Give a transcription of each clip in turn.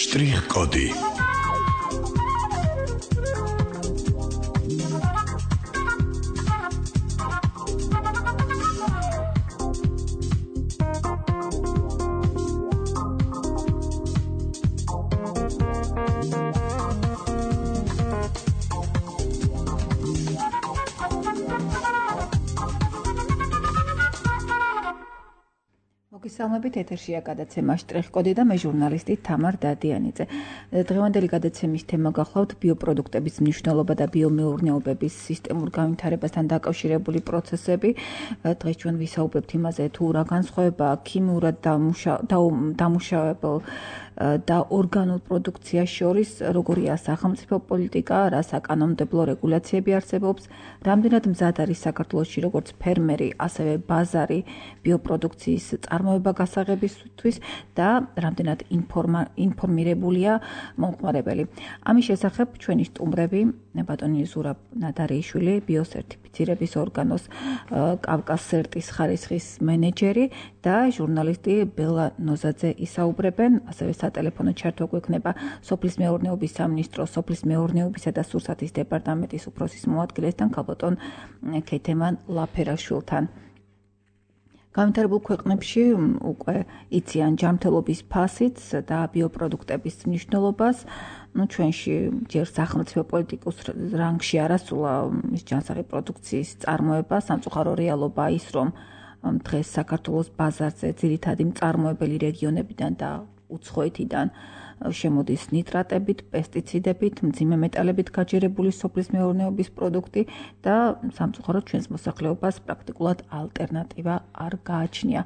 Strich-კოდი. მოგესალმებით, ეთერშია გადაცემა შტრიხ-კოდი და მე ჟურნალისტი თამარ დადიანიძე. დღევანდელი გადაცემის თემა გახლავთ ბიოპროდუქტების მნიშვნელობა და ბიომეურნეობების სისტემურ განვითარებასთან დაკავშირებული პროცესები. დღეს ჩვენ ვისაუბრებთ იმაზე, თუ რა განსხვავება ქიმიურად დამუშავებელ და ორგანულ პროდუქციას შორის, როგორია სახელმწიფო პოლიტიკა, რა საკანონმდებლო რეგულაციები არსებობს, რამდენად მზად არის საქართველოში როგორც ფერმერი, ასევე ბაზარი ბიოპროდუქციის წარმოება გასაღებისთვის და რამდენად ინფორმირებულია მომხმარებელი. ამის შესახებ ჩვენი სტუმრები, ბატონი ზურაბ ნადარიშვილი, ბიოსერტიფიცირების ორგანოს კავკასერტის ხარისხის მენეჯერი და ჟურნალისტი ბელა ნოზაძე ისაუბრებენ, ასევე სატელეფონო ჩართვა გვექნება სოფლის მეურნეობის სამინისტროს სოფლის მეურნეობისა და სურსათის დეპარტამენტის უფროსის მოადგილესთან ქალბატონ ქეთემან ლაფერაშვილთან. განვითარებულ ქვეყნებში უკვე იციან ჯანმრთელობის ფასიც და ბიოპროდუქტების მნიშვნელობას. ჩვენში ჯერ სახელმწიფო პოლიტიკოს რანგში არასულა ის ჯანსაღი პროდუქციის წარმოება, სამწუხარო რეალობა ის, რომ დღეს საქართველოს ბაზარზე ძირითადი მწარმოებელი რეგიონებიდან და უცხოეთიდან შემოდის ნიტრატებით, პესტიციდებით, მძიმე მეტალებით გაჯერებული სოფლის მეურნეობის პროდუქტი და სამწუხაროდ ჩვენს მოსახლეობას პრაქტიკულად ალტერნატივა არ გააჩნია.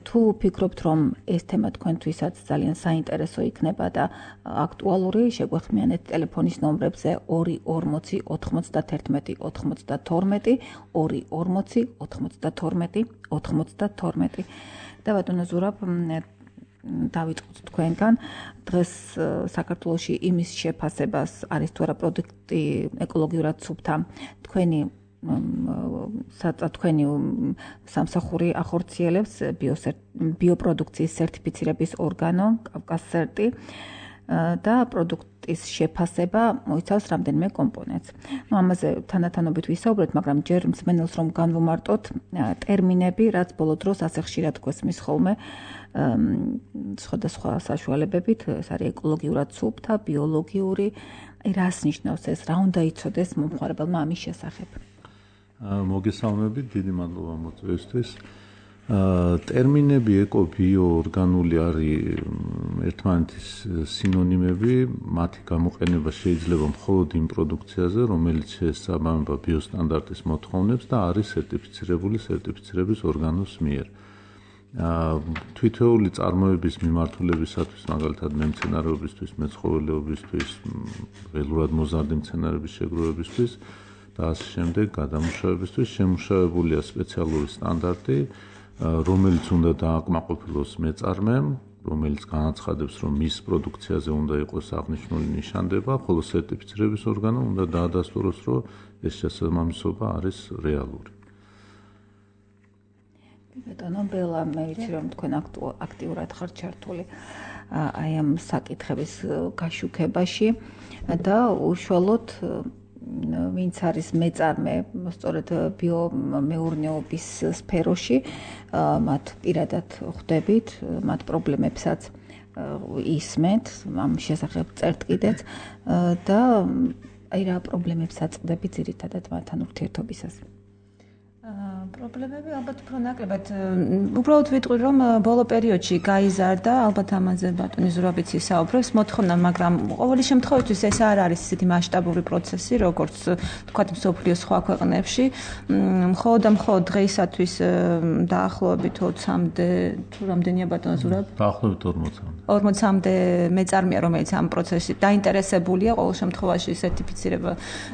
თუ ფიქრობთ, რომ ეს თემა თქვენთვისაც ძალიან საინტერესო იქნება და აქტუალური, შეგვეხმიანეთ ტელეფონის ნომრებზე 240 91 92 240 92 92. და ბატონო ზურაბ, დავიწყოთ თქვენგან. დღეს საქართველოში იმის შეფასებას არის თუ არა პროდუქტი ეკოლოგიურად სუფთა თქვენი სამსახური ახორციელებს ბიოპროდუქციის სერტიფიცირების ორგანო კავკასერტი და პროდუქტის შეფასება მოიცავს რამდენიმე კომპონენტს. ამაზე თანდათანობით ვისაუბრეთ, მაგრამ ჯერ მსმენელს რომ განვუმარტოთ ტერმინები, რაც ბოლო დროს ასე ხშირად გვესმის ხოლმე სხვადასხვა საშუალებებით, ეს არის ეკოლოგიურად სუფთა, ბიოლოგიური, რას ნიშნავს ეს, რა უნდა იცოდეს მომხმარებელმა ამის შესახებ? მოგესალმებით, დიდი მადლობა მოწვევისთვის. ტერმინები ეკო, ბიო, ორგანული არის ერთმანეთის სინონიმები, მათი გამოყენება შეიძლება მხოლოდ იმ პროდუქციაზე, რომელიც შეესაბამება ბიოსტანდარტის მოთხოვნებს და არის სერტიფიცირებული სერტიფიცირების ორგანოს მიერ. თვითეული წარმოების მიმართულებისათვის, მაგალითად მემცენარეობისთვის, მეცხოველეობისთვის, ველურად მოზარდი მცენარეების შეგროვებისთვის და ასე შემდეგ გადამუშავებისთვის შემუშავებულია სპეციალური სტანდარტი, რომელიც უნდა დააკმაყოფილოს მეწარმემ, რომელიც განაცხადებს, რომ მის პროდუქციაზე უნდა იყოს აღნიშნული ნიშანდება, ხოლო სერტიფიცირების ორგანომ უნდა დაადასტუროს, რომ ეს შესაბამისობა არის რეალური. ბატონო ბელა, მე ვიცი, რომ თქვენ აქტიურად ხართ ჩართული აი ამ საკითხების გაშუქებაში და უშუალოდ ვინც არის მეწარმე, სწორედ ბიომეურნეობის სფეროში, მათ პირადად ხვდებით, მათ პრობლემებსაც ისმენთ, ამ შესახებ წერთ კიდეც და აი რა პრობლემებს აწყდებით ძირითადად მათთან ურთიერთობისას? პრობლემები ალბათ უფრო ნაკლებად. უბრალოდ ვიტყვი, რომ ბოლო პერიოდში გაიზარდა, ალბათ ამაზე ბატონი ზურაბიც ისაუბრებს, მოთხოვნა, მაგრამ ყოველი შემთხვევაში ეს არ არის ისეთი მასშტაბური პროცესი, როგორც თქვათ მსოფლიოს სხვა ქვეყნებში. მხოლოდ და მხოლოდ დღეისათვის დაახლოებით 20-მდე, თუ რამდენია ბატონო ზურაბ? დაახლოებით 40-მდე. 40-მდე მეწარმეა, რომელიც ამ პროცესში დაინტერესებულია, ყოველ შემთხვევაში სერტიფიცირება,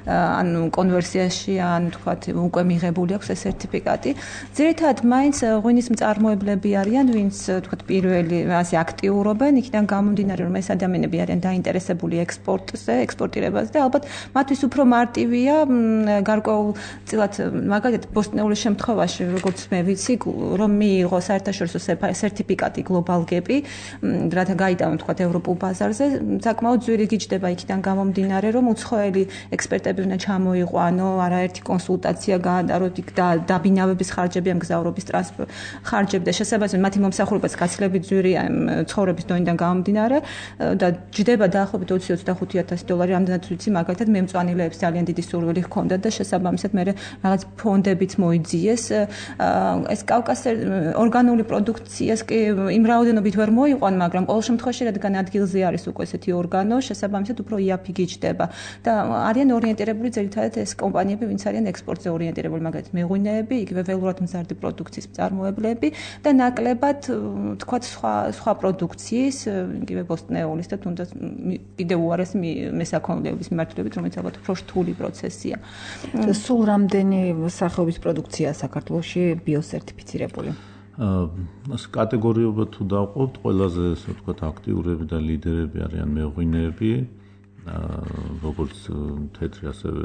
ან კონვერსიაში, ან თქვათ უკვე მიღებული აქვს ეს სერტიფიკატი სერტიფიკატი. ძირითადად მაინც ღვინის მწარმოებლები არიან, ვინც თქვათ პირველი ასე აქტიურობენ, იქიდან გამომდინარე რომ ეს ადამიანები არიან დაინტერესებული ექსპორტზე, ექსპორტირებაზე და ალბათ მათთვის უფრო მარტივია გარკვეულწილად მაგალითად ბოსტნეულის შემთხვევაში როგორც მე ვიცი რომ მიიღო საერთაშორისო სერტიფიკატი Global Gap-ი, რათა გაიტანონ თქვათ ევროპულ ბაზარზე, საკმაოდ ძვირი გიჩდება იქიდან გამომდინარე, რომ უცხოელი ექსპერტები უნდა ჩამოიყვანო, არაერთი კონსულტაცია გაატაროთ იქ და დაბინავების ხარჯები, ამ გზავრობის ტრანსპორტ ხარჯები და შესაბამისად მათი მომსახურებაც გაცილებით ძვირია ცხოვრების დონიდან გამომდინარე და ჯდება დაახლოებით $20,000-25,000, ამდენად ვიცი, მაგალითად მე მწვანილეებს ძალიან დიდი სურვილი ჰქონდათ და შესაბამისად მე რაღაც ფონდებიც მოიძიეს. ეს კავკასიერ ორგანული პროდუქციას კი იმ რაოდენობით ვერ მოიყვან, მაგრამ ყოველ შემთხვევაში რადგან ადგილზე არის უკვე ესეთი ორგანო, შესაბამისად უფრო იაფი გიჩდება და არიან ორიენტირებული ძირითადად ეს კომპანიები, ვინც არიან ექსპორტზე ორიენტირებული, მაგალითად მეღვინეები, იგივე ველურად მზარდი პროდუქციის მწარმოებლები და ნაკლებად თქვათ სხვა პროდუქციის, იგივე ბოსტნეულის და თუნდაც კიდევ უარესი მესაქონლეობის მიმართულებით, რომელიც ალბათ უფრო რთული პროცესია. სულ რამდენი სახეობის პროდუქცია საქართველოში ბიოსერტიფიცირებული? კატეგორიებად თუ დავყოთ, ყველაზე ასე ვთქვათ აქტიურები და ლიდერები არიან მეღვინეები, როგორც თეთრი ასევე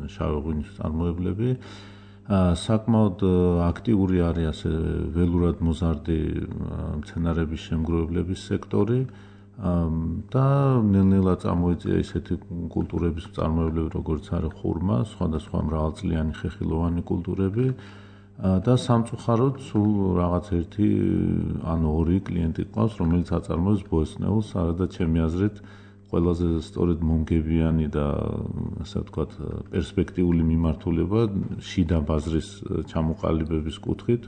შავი ღვინის წარმოებლები. საკმაოდ აქტიური არის ასე ველურად მოზარდი მცენარეების შემგროვებლების სექტორი და ნელ-ნელა წამოიწია ისეთი კულტურების მწარმოებლები, როგორც არის ხურმა, სხვადასხვა მრავალწლიანი ხეხილოვანი კულტურები და სამწუხაროდ სულ რაღაც ერთი ანუ ორი კლიენტი ყავს, რომელიც აწარმოებს ბოსტნეულს, არადა ჩემი აზრით ყველაზე სწორედ მომგებიანი და ასე ვთქვათ პერსპექტიული მიმართულება შიდა ბაზრის ჩამოყალიბების კუთხით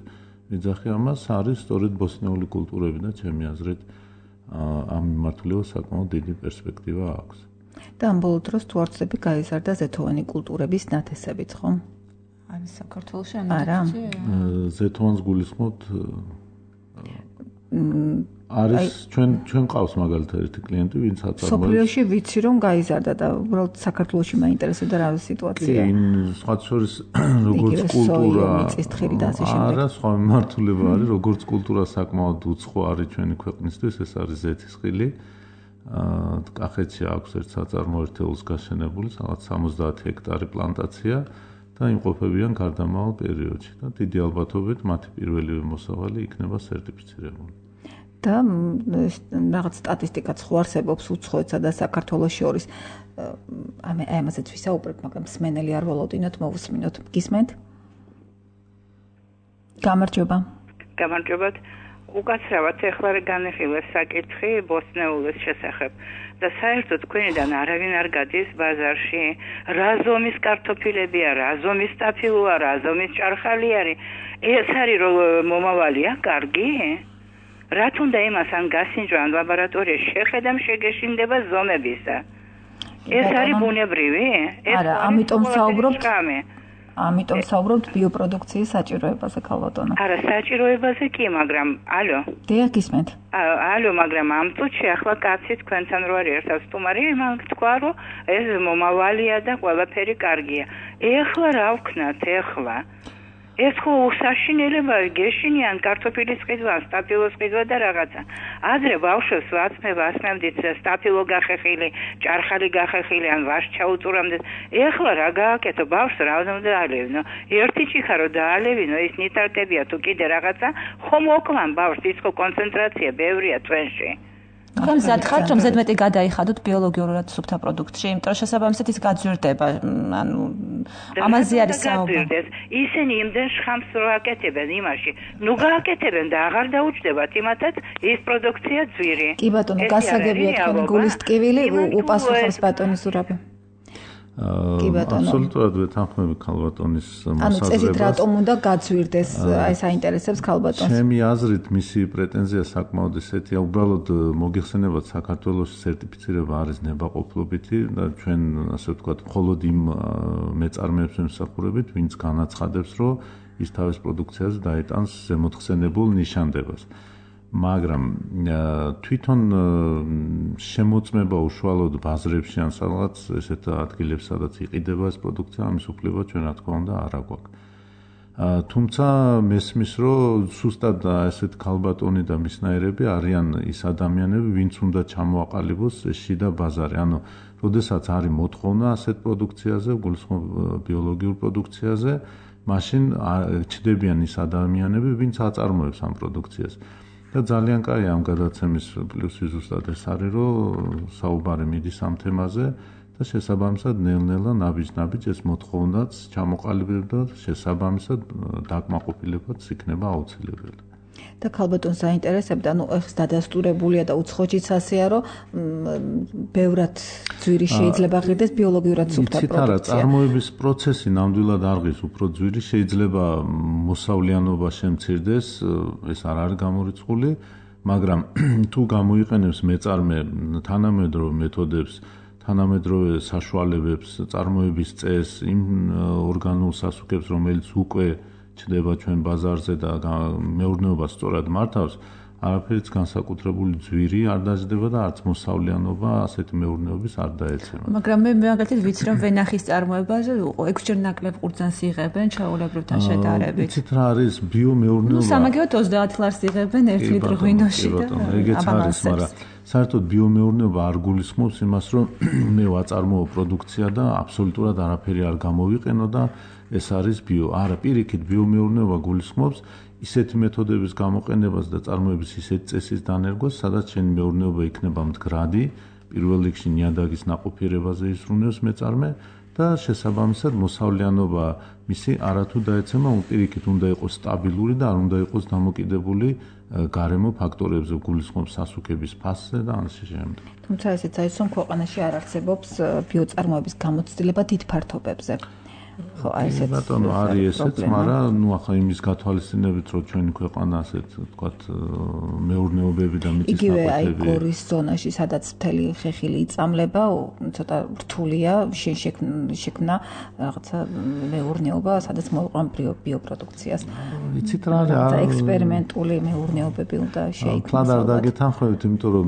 ვიძახი ამას არის სწორედ ბოსტნეული კულტურები და ჩემი აზრით ამ მიმართულებას საკმაოდ დიდი პერსპექტივა აქვს. და ამ ბოლო დროს თუ არ ვცდები გაიზარდა ზეთოვანი კულტურების ნათესებიც, ხო? არის საქართველოში არა. ზეთოვანს გულისხმობთ არის ჩვენ ყავს მაგალითად ერთი კლიენტი, ვინც აწარმოებს. სოფლიოში ვიცი რომ გაიზარდა და უბრალოდ საქართველოში მაინტერესებდა რა სიტუაცია. სხვა შორის როგორც კულტურა არა, სხვა მიმართულება არის, როგორც კულტურა საკმაოდ უცხო არის ჩვენი ქვეყნისთვის, ეს არის ზეთისხილი. კახეთში აქვს ერთ საწარმო ერთეულს გაშენებული, რაღაც 70 ჰექტარი პლანტაცია და იმყოფებიან გარდამავალ პერიოდში და დიდი ალბათობით მათი პირველივე მოსავალი იქნება სერტიფიცირებული. და რაღაც სტატისტიკაც ხო არსებობს უცხოეთსა და საქართველოს შორის. ამაზეც ვისაუბრებ, მაგრამ მსმენელი არ ვალოდინოთ, მოვუსმინოთ. გისმენთ? გამარჯობა. გამარჯობათ. უკაცრავად ეხლა განეხილეს საკითხი ბოსტნეულის შესახებ და საერთოდ თქვენიდან არავინ არ გადის ბაზარში. რა ზომის კარტოფილებია, რა ზომის სტაფილოა, რა ზომის ჭარხალი არის. ეს არის რომ მომავალია, კარგი? რა თუნდა იმას ან გასინჯვა ან ლაბორატორიაში შეხედამ შეგეშინდება ზომებისა. ეს არის ბუნებრივი? არა, ამიტომ საუბრობთ ბიოპროდუქციის საჭიროებაზე, ქალბატონო. არა, საჭიროებაზე კი, მაგრამ ალო. დიახ, გისმენთ. ალო, მაგრამ ამ წუთში ახლა კაცი თქვენთან რო არის ერთად სტუმარი, მან თქვა რომ ეს მომავალია და ყველაფერი კარგია. ეხლა რა ვქნათ ეხლა? ეს ხო უსაშინელება გეშინიან კარტოფილის ყიდვა, სტაფილოს ყიდვა და რაღაცა. ადრე ბავშვებს ვასმევდით სტაფილო გახეხილი, ჭარხალი გახეხილი ან ვაშ ჩაუწურავდეთ. ეხლა რა გააკეთო ბავშვს რა უნდა დაალევინო? ერთი ჭიქა რო დაალევინო, ის ნიტრატებია თუ კიდე რაღაცა, ხომ ოკლან ბავშვს, ის ხო კონცენტრაცია ბევრია თვენში. ხომ ზადხართ რომ ზედმეტი გადაიხადოთ ბიოლოგიურად სუფთა პროდუქტში, იმიტომ რომ შესაბამისად ის გაძვირდება, ანუ ამაზე არის საუბარი. ისინი იმდენ შხამს რო აკეთებენ იმაში, ნუ გააკეთებენ და აღარ დაუჯდებათ იმათაც ის პროდუქცია ძვირი. კი ბატონო, გასაგებია თქვენი გულის ტკივილი, უპასუხებს ბატონის ზურაბი. აბსოლუტურად ვეთანხმები ქალბატონის მოსაზრებას. ანუ წესით რატომ უნდა გაძვირდეს, აი საინტერესებს ქალბატონს. ჩემი აზრით მისი პრეტენზია საკმაოდ ისეთია, უბრალოდ მოგიხსენებათ საქართველოს სერტიფიცირება არის ნებაყოფლობითი და ჩვენ ასე ვთქვათ, მხოლოდ იმ მეწარმეებს ვემსახურებით, ვინც განაცხადებს, რომ ის თავის პროდუქციაზე დაეტანს ზემოთხსენებულ ნიშანდებას. მაგრამ თვითონ შემოწმება უშუალოდ ბაზრებში ან სადღაც ესეთ ადგილებს, სადაც იყიდება ეს პროდუქცია, ამის უფლება ჩვენ რა თქმა უნდა არ აგვაქვს. თუმცა მესმის რომ სუსტად ესეთ ქალბატონი და მისნაირები არიან ის ადამიანები, ვინც უნდა ჩამოაყალიბოს ეს შიდა ბაზარი. ანუ როდესაც არის მოთხოვნა ასეთ პროდუქციაზე, გულისხმობ ბიოლოგიურ პროდუქციაზე, მაშინ ჩდებიან ის ადამიანები, ვინც აწარმოებს ამ პროდუქციას. და ძალიან კაი ამ გადაცემის პლუსი ზუსტად ეს არის, რომ საუბარი მიდის ამ თემაზე და შესაბამისად ნელ-ნელა ნაბიჯ-ნაბიჯ ეს მოთხოვნაც ჩამოყალიბდება და შესაბამისად დაკმაყოფილებაც იქნება აუცილებელი. და ქალბატონს აინტერესებდა, ეს დადასტურებულია და უცხოჯიც ასეა, რომ ბევრად ძვირი შეიძლება ღირდეს ბიოლოგიურად სუფთა პროდუქცია. იცით არა, წარმოების პროცესი ნამდვილად არ ღირს, უფრო ძვირი შეიძლება მოსავლიანობა შემცირდეს, ეს არ არის გამორიცხული, მაგრამ თუ გამოიყენებს მეწარმე თანამედროვე მეთოდებს, თანამედროვე საშუალებებს, წარმოების წესს, იმ ორგანულ სასუქებს, რომელიც უკვე ჩდება ჩვენ ბაზარზე და მეურნეობას სწორად მართავს, არაფერიც განსაკუთრებული ძვირი არ დაждდება და არც მოსავლიანობა ასეთი მეურნეობის არ დაეცემა. მაგრამ მე მაგალითად ვიცი, რომ ვენახის წარმოებაზე 6ჯერ ნაკლებ ყურძანს იღებენ ჩაოლებრებთან შედარებით. იცით რა არის ბიომეურნეობა? სამაგიეროდ 30 ლარს იღებენ 1 ლიტრ ღვინოში და ეგეც არის, მაგრამ საერთოდ ბიომეურნეობა არ გულისხმობს იმას, რომ მე ვაწარმოო პროდუქცია და აბსოლუტურად არაფერი არ გამოვიყენო და ეს არის ბიო. არა, პირიქით ბიომეურნეობა გულისხმობს ისეთი მეთოდების გამოყენებას და წარმოების ისეთი წესის დანერგვას, სადაც შენი მეურნეობა იქნება მდგრადი, პირველ რიგში ნიადაგის ნაყოფიერებაზე ისრუნებს მეწარმე და შესაბამისად მოსავლიანობა მისი არათუ დაეცემა, პირიქით უნდა იყოს სტაბილური და არ უნდა იყოს დამოკიდებული გარემო ფაქტორებზე, გულისხმობს სასუქების ფასზე და ამის შემდეგ. თუმცა ესეც არის, რომ ქვეყანაში არ არსებობს ბიოწარმოების გამოცდილება დიდ ფართობებზე. ხო, აი ესეც. ბატონო, არის ესეც, მაგრამ ახლა იმის გათვალისწინებით, რომ ჩვენი ქვეყანა ასეთ, თქვათ, მეურნეობები და მიწის იგივე აი ნაყოფები გორის ზონაში, სადაც მთელი ხეხილი იწამლება, ცოტა რთულია, შექმნა რაღაცა მეურნეობა, სადაც მოიყვან ბიოპროდუქციას. იცით რა არის? და ექსპერიმენტული მეურნეობები უნდა შეიქმნას. თქვა არ დაგეთანხმებით, იმიტომ რომ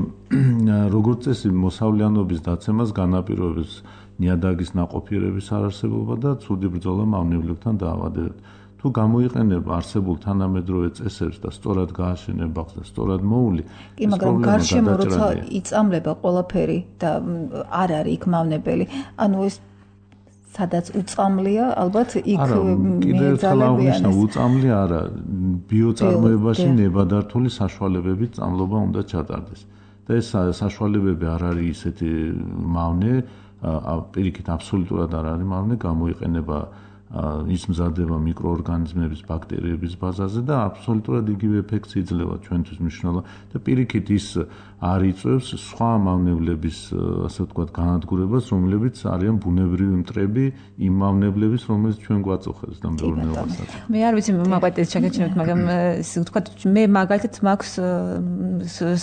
როგორც წესი მოსავლიანობის დაცემას განაპირობებს ნიადაგის ნაყოფიერების არარსებობა და ცუდი ბრძოლა მავნებლებთან დაავადებებით. თუ გამოიყენებ არსებულ თანამედროვე წესებს და სწორად გააშენებ ბაღს და სწორად მოული, კი, მაგრამ გარშემო როცა იწამლება ყველაფერი და არ არის იქ მავნებელი, ანუ ეს სადაც უწამლია, ალბათ იქ მეძალებიან. უწამლი არა, ბიოწარმოებაში ნებადართული საშუალებებით წამლობა უნდა ჩატარდეს. და ეს საშუალებები არ არის ისეთი მავნე, პირიქით აბსოლუტურად არ არის მავნე, გამოიყენება ის მზადება მიკროორგანიზმების, ბაქტერიების ბაზაზე და აბსოლუტურად იგივე ეფექტს იძლევა ჩვენთვის მნიშვნელოვანი და პირიქით ის არ იწვევს სხვა მავნებლების, ასე ვთქვათ, განადგურებას, რომლებიც არიან ბუნებრივი მტრები იმ მავნებლების, რომელიც ჩვენ გვაწუხებს და მეურნეობასაც. მე არ ვიცი მაგალითად შეგეჩნევთ, მაგრამ ისე ვთქვათ, მე მაგალითად მაქვს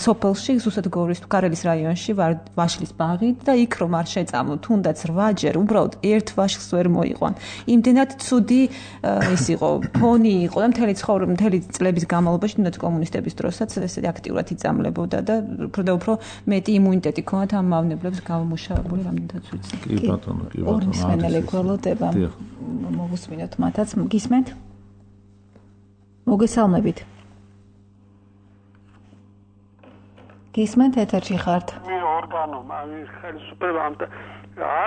სოფელში, ზუსტად გორის ქარელის რაიონში ვარ ვაშლის ბაღი და იქ რომ არ შეწამო, თუნდაც 8ჯერ უბრალოდ ერთ ვაშლს ვერ მოიყვან. იმდენად ცუდი ის იყო, ფონი იყო და მთელი წლების განმავლობაში, თუნდაც კომუნისტების დროსაც ესე აქტიურად იწამლებოდა და უფრო მეტი იმუნიტეტი ქონათ ამ მავნებლებს გამომუშავებული, რამდენადაც ვიცი. კი ბატონო, კი ბატონო. ორმის მენელი გველოდება. მოგუსმინოთ მათაც, გისმენთ? მოგესალმებით. გისმენთ, ეთერში ხართ. მე ორგანო, მაგის ხელისუფლება ამ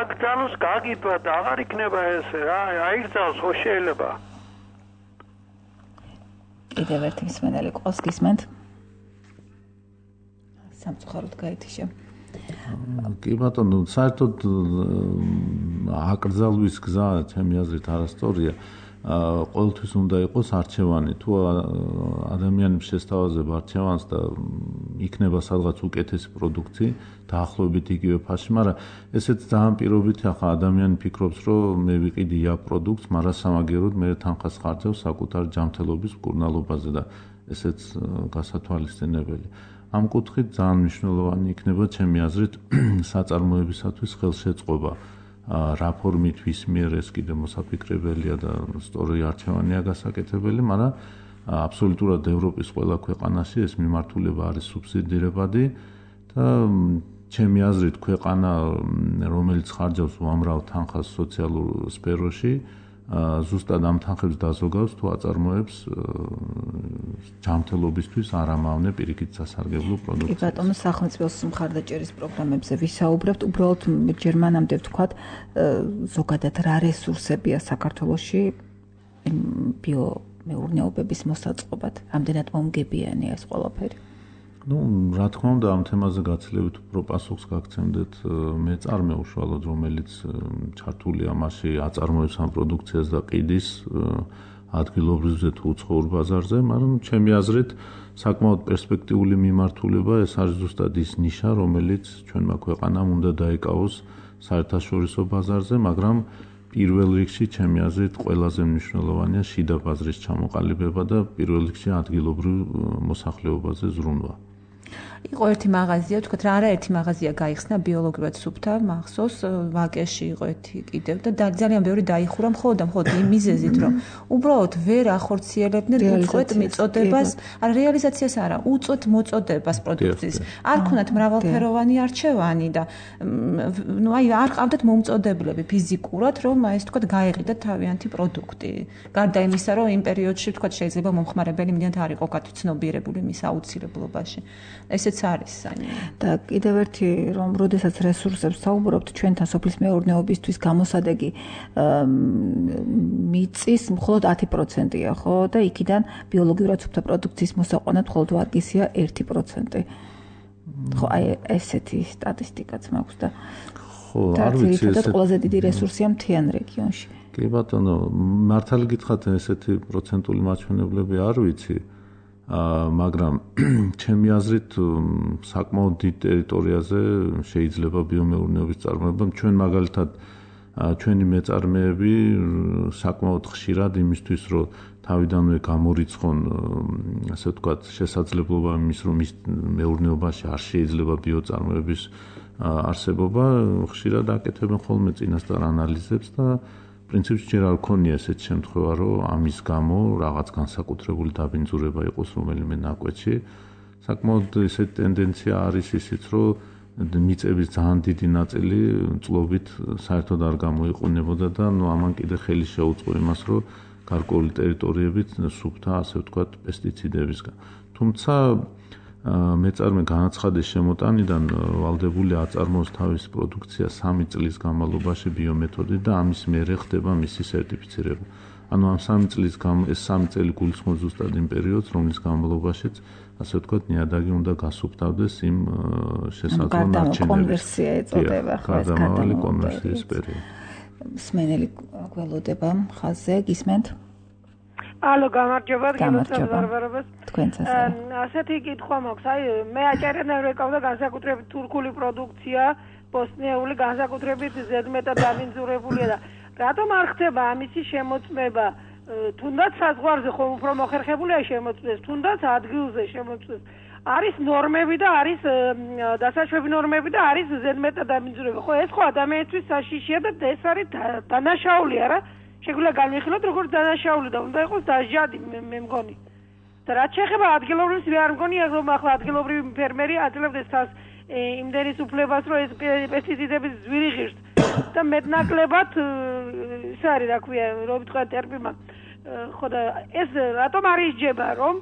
აკრძალოს გაგიბა და აღარ იქნება ესე რა, აიგზავს ხო შეიძლება. კიდევ ერთი მსმენელი ყავს, გისმენთ? სამწუხაროდ გაითიშა. კი ბატონო, საერთოდ აკრძალვის გზა ჩემი აზრით არასწორია. ყოველთვის უნდა იყოს არჩევანი. თუ ადამიანებს შესთავაზებ არჩევანს და იქნება სადღაც უკეთესი პროდუქცია, დაახლოებით იგივე ფასში, მაგრამ ესეც ძალიან პირობითი, ახლა ადამიანი ფიქრობს, რომ მე ვიყიდი ია პროდუქტს, მაგრამ სამაგიეროდ მე თანხას ხარჯავ საკუთარ ჯანმრთელობის მკურნალობაზე და ესეც გასათვალისწინებელი. ამ კუთხით ძალიან მნიშვნელოვანი იქნება ჩემი აზრით საწარმოებისათვის ხელშეწყობა. რა ფორმით ვის მიერ ეს კიდე მოსაფიქრებელია და სწორი არჩევანია გასაკეთებელი, მაგრამ აბსოლუტურად ევროპის ყველა ქვეყანაში ეს მიმართულება არის სუბსიდირებადი და ჩემი აზრით ქვეყანა, რომელიც ხარჯავს უამრავ თანხას სოციალურ სფეროში, ზუსტად ამ თანხებს დაზოგავს თუ აწარმოებს ჯანმრთელობისთვის არამავნე პირიქით სასარგებლო პროდუქციას. კი ბატონო, სახელმწიფოს მხარდაჭერის პროგრამებზე ვისაუბრებთ, უბრალოდ ჯერ მანამდე ვთქვათ, ზოგადად რა რესურსებია საქართველოში ბიომეურნეობების მოსაწყობად, რამდენად მომგებიანია ეს ყველაფერი? რა თქმა უნდა, ამ თემაზე გაცილებით უფრო პასუხს გაგცემდეთ მეწარმე უშუალოდ, რომელიც ჩართულია მასში, აწარმოებს ამ პროდუქციას და ყიდის ადგილობრივზე თუ უცხოურ ბაზარზე, მაგრამ ჩემი აზრით საკმაოდ პერსპექტიული მიმართულება ეს არის ზუსტად ის ნიშა, რომელიც ჩვენმა ქვეყანამ უნდა დაიკავოს საერთაშორისო ბაზარზე, მაგრამ პირველ რიგში ჩემი აზრით ყველაზე მნიშვნელოვანია შიდა ბაზრის ჩამოყალიბება და პირველ რიგში ადგილობრივ მოსახლეობაზე ზრუნვა. იყო ერთი მაღაზია, ვთქვათ, რა არაერთი მაღაზია გაიხსნა ბიოლოგიურად სუფთა მახსოვს, ვაკეში იყო ერთი კიდევ და ძალიან ბევრი დაიხურა მხოლოდ იმ მიზეზით, რომ უბრალოდ ვერ ახორციელებდნენ უწყვეტ მიწოდებას, არა რეალიზაციას არა, უწყვეტ მოწოდებას პროდუქციის. არ ქონათ მრავალფეროვანი არჩევანი და არ ყავდათ მომწოდებლები ფიზიკურად, რომ ეს ვთქვათ, გაეყიდათ თავიანთი პროდუქტი. გარდა იმისა, რომ იმ პერიოდში ვთქვათ, შეიძლება მომხმარებელი მიდანთ არ იყო გაცნობიერებული მის აუცილებლობაში. ესეც არის და კიდევ ერთი რომ როდესაც რესურსებს საუბრობთ ჩვენთან სოფლის მეურნეობისთვის გამოსადეგი მიწის მხოლოდ 10%-ია ხო და იქიდან ბიოლოგიურად სუფთა პროდუქციის მოსაყვანად მხოლოდ ვარგისია 1%. ხო აი ესეთი სტატისტიკაც მაქვს და ხო არ ვიცი ეს ყველაზე დიდი რესურსია მთიან რეგიონში. კი ბატონო, მართალი გითხრათ ესეთი პროცენტული მაჩვენებლები არ ვიცი. მაგრამ ჩემი აზრით საკმაოდ დიდ ტერიტორიაზე შეიძლება ბიომეურნეობის წარმოება. ჩვენ მაგალითად ჩვენი მეწარმეები საკმაოდ ხშირად იმისთვის რომ თავიდანვე გამორიცხონ ასე ვთქვათ შესაძლებლობა იმის რომ ის მეურნეობაში არ შეიძლება ბიოწარმოების არსებობა ხშირად აკეთებენ ხოლმე წინასწარ ანალიზებს და პრინციპში ჯერ არ ქონია ესეთ შემთხვევა, რომ ამის გამო რაღაც განსაკუთრებული დაბინძურება იყოს რომელიმე ნაკვეთში. საკმაოდ ესეთი ტენდენცია არის ისიც, რომ მიწების ძალიან დიდი ნაწილი წლობით საერთოდ არ გამოიყენებოდა და ამან კიდე ხელი შეუწყო იმას, რომ გარკვეული ტერიტორიებით სუფთა, ასე ვთქვათ, პესტიციდებისგან. თუმცა მეწარმე განაცხადეს შემოტანიდან ვალდებული აწარმოოს თავის პროდუქცია 3 წლის განმავლობაში ბიომეთოდით და ამის მერე ხდება მისი სერტიფიცირება. ანუ ამ 3 წლის ეს 3 წელი გულისხმობს ზუსტად იმ პერიოდს, რომლის განმავლობაშიც ასე ვთქვათ, ნიადაგი უნდა გასუფთავდეს იმ შესაძლო ნარჩენებს. კონვერსია ეწოდება, ხო, ეს გადამავალი კონვერსიის პერიოდი. სმენელი გველოდება ხაზზე, გისმენთ? ალო, გამარჯობა, გემოწევარებას. თქვენც ასე. ასეთი კითხვა მაქვს, აი მე აჭარიდან ვეკავდა განსაკუთრებით თურქული პროდუქცია, ბოსნიური განსაკუთრებით ზედმეტად დაბინძურებულია და რატომ არ ხდება ამისი შემოწმება? თუნდაც საზღვარზე ხომ უფრო მოხერხებულია შემოწმდეს, თუნდაც ადგილზე შემოწმდეს. არის ნორმები და არის დასაშვები ნორმები და არის ზედმეტად დაბინძურება. ხო, ეს ხო ადამიანისთვის საშიშია და ეს არის დანაშაული, არა? შეგვიძლია განვიხილოთ როგორც დანაშაული და უნდა იყოს დასჯადი მე მგონი. და რაც შეეხება ადგილობრივს მე არ მგონია რომ ახლა ადგილობრივი ფერმერი აძლევდეს თავს იმდენის უფლებას რომ ეს პესტიციდების ძვირი ღირს და მეტნაკლებად ის არის რა ქვია რომ ვიტყვი ტერმინმა ხო და ეს რატომ არ ისჯება რომ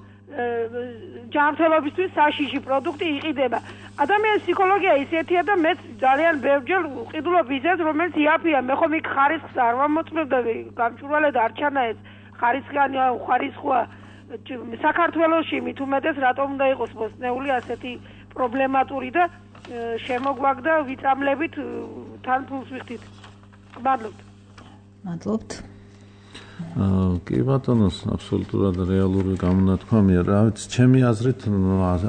ჯანმრთელობისთვის საშიში პროდუქტი იყიდება. ადამიანის ფსიქოლოგია ისეთია და მეც ძალიან ბევრჯერ ვყიდულობ ისეს, რომელიც იაფია, მე ხომ იქ ხარისხს არ ვამოწმებდები, გამჭვირვალე და არ ჩანა ეს ხარისხიანი ხარისხვა საქართველოში მით უმეტეს რატომ უნდა იყოს ბოსნეული ასეთი პრობლემატური და შემოგვაგდა ვიწამლებით თან ფულს ვიხდით. მადლობთ. მადლობთ. კი ბატონო, აბსოლუტურად რეალური გამონათქვამია. რა ვიცი, ჩემი აზრით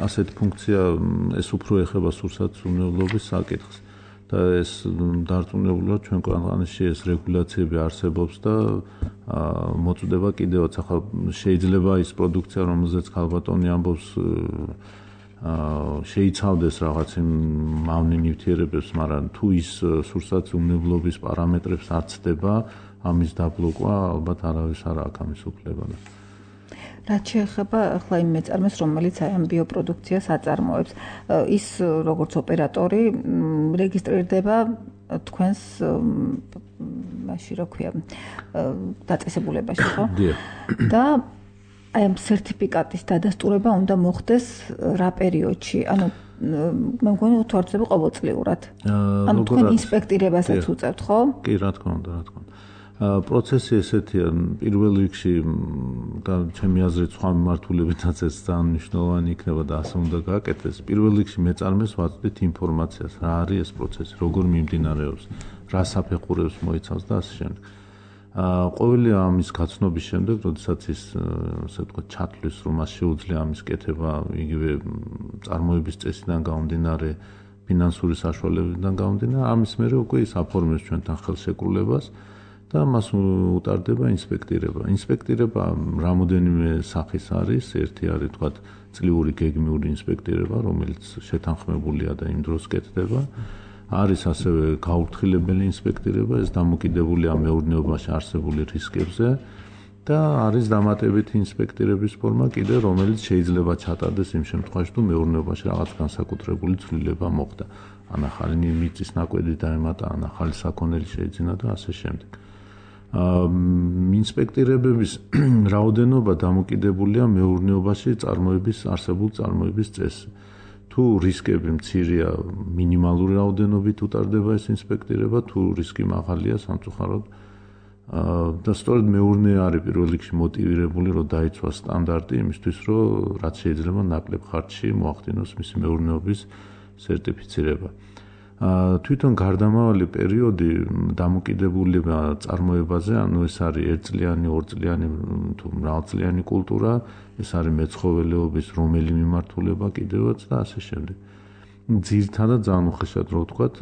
ასეთი ფუნქცია ეს უფრო ეხება სურსათმრუნებლობის საკითხს და ეს დარწმუნებულად ჩვენ ქვეყანაში ეს რეგულაციები არსებობს და მოწდება კიდევაც. ახლა შეიძლება ის პროდუქცია, რომელზეც ქალბატონი ამბობს შეიცავდეს რაღაც იმ მავნე ნივთიერებებს, მაგრამ თუ ის სურსათმრუნებლობის პარამეტრებს არ ცდება, ამის დაბლოკვა ალბათ არავის არ აქვს ამის უფლება. რაც შეეხება ახლა იმ მეწარმეს, რომელიც აი ამ ბიოპროდუქციას აწარმოებს, ის როგორც ოპერატორი რეგისტრირდება თქვენს მასში რო ქვია დაწესებულებაში ხო? და აი ამ სერტიფიკატის დადასტურება უნდა მოხდეს რა პერიოდში? ანუ მე მგონი უთვალისწინებელია ყოველწლიურად. ანუ თქვენ ინსპექტირებასაც უწევთ, ხო? კი, რა თქმა უნდა. პროცესი ესეთია, პირველ რიგში და ჩემი აზრით სხვა მიმართულებითაც ეს ძალიან მნიშვნელოვანი იქნება და ასე უნდა გააკეთდეს. პირველ რიგში მეწარმეს ვაწვდით ინფორმაციას, რა არის ეს პროცესი, როგორ მიმდინარეობს, რა საფეხურებს მოიცავს და ასე შემდეგ. ყოველი ამის გაცნობის შემდეგ, როდესაც ის ასე ვთქვათ, ჩათვლის, რომ მას შეუძლია ამის კეთება იგივე წარმოების წესიდან გამომდინარე, ფინანსური საშუალებებიდან გამომდინარე, ამის მერე უკვე ის აფორმებს ჩვენთან ხელშეკრულებას და მას უტარდება ინსპექტირება. ინსპექტირება რამოდენიმე სახის არის, ერთი არის ვთქვათ, წლიური გეგმიური ინსპექტირება, რომელიც შეთანხმებულია და იმ დროს კეთდება. არის ასევე გაურთხილებელი ინსპექტირება, ეს დამოკიდებულია მეურნეობაში არსებული რისკებზე და არის დამატებითი ინსპექტირების ფორმა კიდე, რომელიც შეიძლება ჩატარდეს იმ შემთხვევაში, თუ მეურნეობაში რაღაც განსაკუთრებული ცვლილება მოხდა. ან ახალი მიწის ნაკვეთი დაემატა, ან ახალი საქონელი შეიძინა და ასე შემდეგ. ინსპექტირებების რაოდენობა დამოკიდებულია მეურნეობაში არსებულ წარმოების წესზე. თუ რისკები მცირეა, მინიმალური რაოდენობით უტარდება ეს ინსპექტირება, თუ რისკი მაღალია, სამწუხაროდ და სწორედ მეურნე არის პირველ რიგში მოტივირებული, რომ დაიცვას სტანდარტი იმისთვის, რომ რაც შეიძლება ნაკლებ ხარჯში მოახდინოს მისი მეურნეობის სერტიფიცირება. თვითონ გარდამავალი პერიოდი დამოკიდებულია წარმოებაზე, ანუ ეს არის ერთწლიანი, ორწლიანი თუ მრავალწლიანი კულტურა, ეს არის მეცხოველეობის რომელი მიმართულება კიდევაც და ასე შემდეგ. ძირითადად ძალიან უხეშად რო ვთქვათ,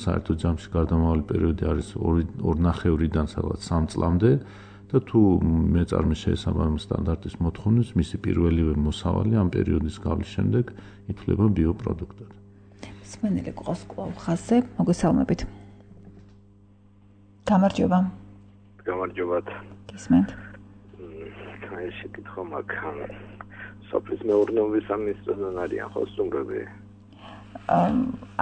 საერთო ჯამში გარდამავალი პერიოდი არის 2.5-დან სადღაც 3 წლამდე და თუ მეწარმის შესაბამის სტანდარტის მოთხოვნით, მისი პირველივე მოსავალი ამ პერიოდის გავლის შემდეგ ითვლება ბიოპროდუქტად. სმენელი ყავს კვლავ ხაზზე, მოგესალმებით. გამარჯობა. გამარჯობათ. გისმენთ. ეს შეკითხვა მაქვს. სოფლის მეურნეობის სამინისტროდან არიან ხო სტუმრები?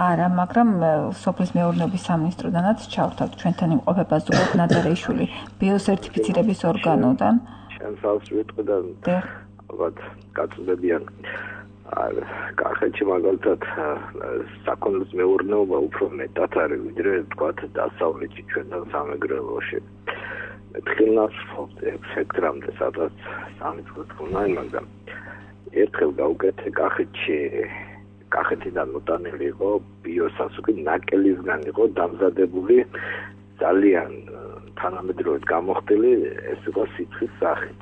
არა, მაგრამ სოფლის მეურნეობის სამინისტროდანაც ჩავთავთ ჩვენთან იმყოფება ზურაბ ნადარეიშვილი ბიოსერტიფიცირების ორგანოდან. შენ სალს ვიტყვი და ალბათ გაწუდებიან. კახეთში მაგალითად საქონლის მეურნეობა უფრო მეტად არის, ვიდრე თქვათ დასავლეთში ჩვენთან სამეგრელოში. თხილნას ფოთე სექტრამდე სადაც 3 წუთი ხუნაი, მაგრამ ერთხელ გავუკეთე კახეთიდან მოტანილი იყო ბიოსასუკი ნაკელისგან იყო დამზადებული ძალიან თანამედროვედ გამოხდილი, ეს იყო სითხის სახით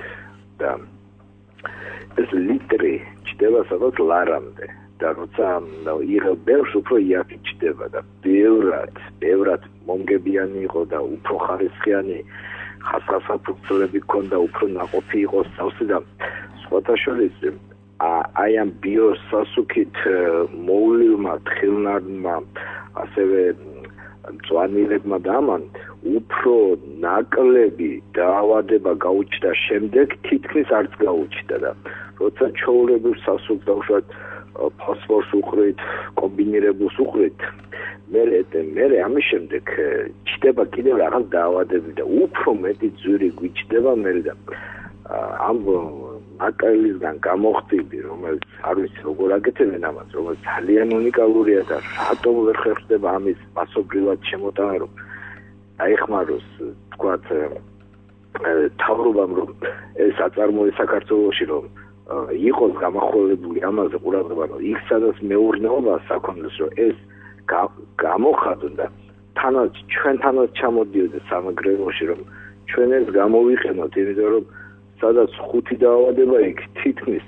და ეს ლიტრი ჩდება სადაც ლარამდე და როცა იღებ ბევრს უფრო იაფი ჩდება და ბევრად მომგებიანი იყო და უფრო ხარისხიანი ხასხასაფუძვლები ჰქონდა, უფრო ნაყოფი იყო სავსე და სხვათა შორის აი ამ ბიოსასუქით მოულიმა თხილნარმა ასევე მწვანილებმა და ამან უფრო ნაკლები დაავადება გაუჩნდა შემდეგ თითქმის არც გაუჩნდა და როცა ჩვეულებრივ სასუქს დავუშვათ ფოსფორს უყრით, კომბინირებულს უყრით, მერე ამის შემდეგ ჩდება კიდევ რაღაც დაავადები და უფრო მეტი ძვირი გვიჩდება მერე და ამ ნაკელისგან გამოხდილი, რომელიც არ ვიცი როგორ აკეთებენ ამას, რომელიც ძალიან უნიკალურია და რატომ ვერ ხერხდება ამის მასობრივად შემოტანა, რომ აიხმაროს თქვათ თავრობამ რომ ეს აწარმოეს საქართველოში რომ იყოს გამახვილებული ამაზე ყურადღება, რომ იქ სადაც მეურნეობა საქონლის რომ ეს გამოხატონ და ჩვენთანაც ჩამოდიოდეს სამეგრელოში რომ ჩვენ ეს გამოვიყენოთ, იმიტომ რომ სადაც 5 დაავადება იქ თითქმის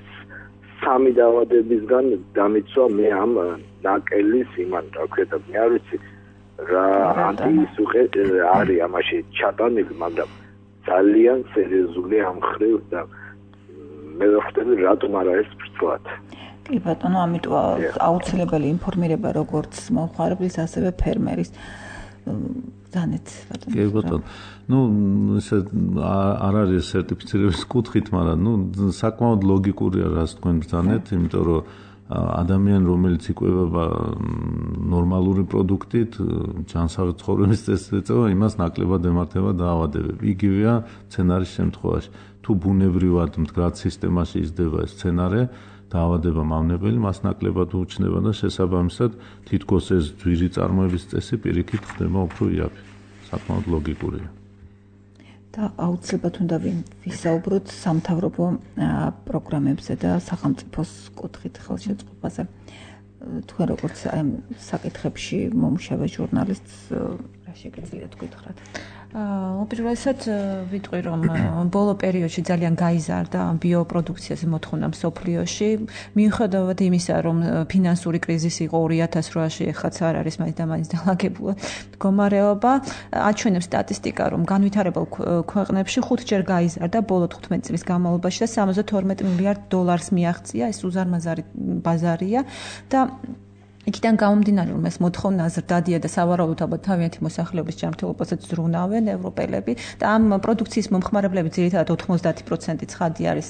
3 დაავადებისგან დამიცვა მე ამ ნაკელის იმან რა ქვია და მე არ ვიცი რა ანტისუხე არის ამაში ჩატანილი, მაგრამ ძალიან სერიოზული ამ ხრივ და მე ვხვდები რატომ არა ეს ფრთლად. კი ბატონო, ამიტომ აუცილებელი ინფორმირება როგორც მომხმარებლის, ასევე ფერმერის. ზანეთ ბატონო. კი ბატონო. ესე არ არის სერტიფიცირების კუთხით, მაგრამ საკმაოდ ლოგიკურია რას თქვენ ბრძანეთ, იმიტომ რომ ადამიანი რომელიც იკვებება ნორმალური პროდუქტით, ჯანსაღი ცხოვრების წესით ეწევა, იმას ნაკლებად ემართება დაავადებები. იგივეა მცენარის შემთხვევაში. თუ ბუნებრივად მდგრად სისტემაში იზრდება ეს მცენარე, დაავადება მავნებელი მას ნაკლებად უჩნდება და შესაბამისად თითქოს ეს ძვირი წარმოების წესი პირიქით ხდება უფრო იაფი. საკმაოდ ლოგიკურია. და აუცილებლად უნდა ვისაუბროთ სამთავრობო პროგრამებზე და სახელმწიფოს კუთხით ხელშეწყობაზე. თქვენ როგორც აი ამ საკითხებში მომუშავე ჟურნალისტს რა შეგიძლიათ გითხრათ? უპირველესად ვიტყვი რომ ბოლო პერიოდში ძალიან გაიზარდა ბიოპროდუქციაზე მოთხოვნა მსოფლიოში მიუხედავად იმისა რომ ფინანსური კრიზისი იყო 2008-ში ეხლაც არ არის მაინც და მაინც დალაგებულად მდგომარეობა აჩვენებს სტატისტიკა რომ განვითარებულ ქვეყნებში 5 ჯერ გაიზარდა ბოლო 15 წლის განმავლობაში და 72 მილიარდ დოლარს მიაღწია ეს უზარმაზარი ბაზარია და იქიდან გამომდინარე რომ ეს მოთხოვნა ზრდადია და სავარაუდოდ ალბათ თავიანთი მოსახლეობის ჯანმრთელობასაც ზრუნავენ ევროპელები და ამ პროდუქციის მომხმარებლები ძირითადად 90% ცხადი არის